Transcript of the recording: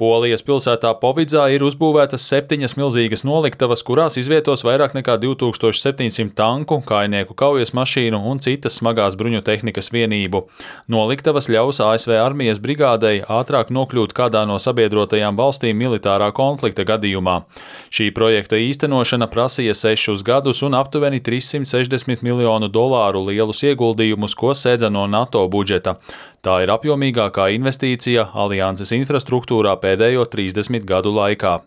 Polijas pilsētā Povidzā ir uzbūvētas 7 milzīgas noliktavas, kurās izvietos vairāk nekā 2700 tanku, kājnieku kaujas mašīnu un citas smagās bruņu tehnikas vienību. Noliktavas ļaus ASV armijas brigādei ātrāk nokļūt kādā no sabiedrotajām valstīm militārā konflikta gadījumā. Šī projekta īstenošana prasīja 6 gadus un aptuveni $360 miljonu lielus ieguldījumus, ko sēdza no NATO budžeta. Tā ir apjomīgākā investīcija alianses infrastruktūrā pēdējo 30 gadu laikā.